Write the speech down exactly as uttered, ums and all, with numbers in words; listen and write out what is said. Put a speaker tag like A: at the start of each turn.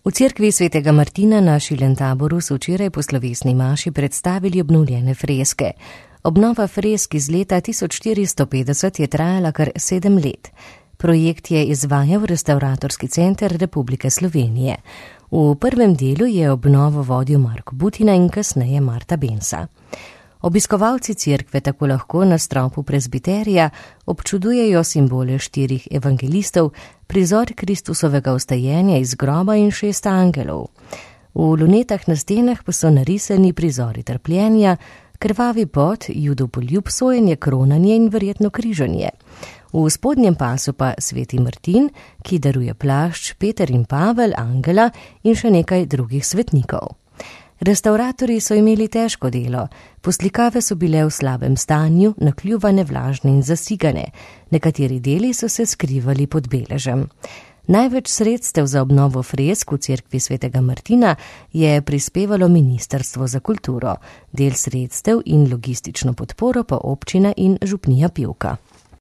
A: V cerkvi svetega Martina na Šilentaboru so včeraj po slovesni maši predstavili obnovljene freske. Obnova fresk iz leta tisoč štiristo petdeset je trajala kar sedem let. Projekt je izvajal Restavratorski center Republike Slovenije. V prvem delu je obnovo vodil Marko Butina in kasneje Marta Bensa. Obiskovalci cerkve tako lahko na stropu prezbiterija občudujejo simbole štirih evangelistov, prizor Kristusovega vstajenja iz groba in šest angelov. V lunetah na stenah pa so narisani prizori trpljenja, krvavi pot, judopoljub, sojenje, kronanje in verjetno križanje. V spodnjem pasu pa sveti Martin, ki daruje plašč, Peter in Pavel, angela in še nekaj drugih svetnikov. Restavratorji so imeli težko delo, poslikave so bile v slabem stanju, nakljuvane, vlažne in zasigane, nekateri deli so se skrivali pod beležem. Največ sredstev za obnovo fresk v cerkvi svetega Martina je prispevalo Ministrstvo za kulturo, del sredstev in logistično podporo pa občina in župnija Pivka.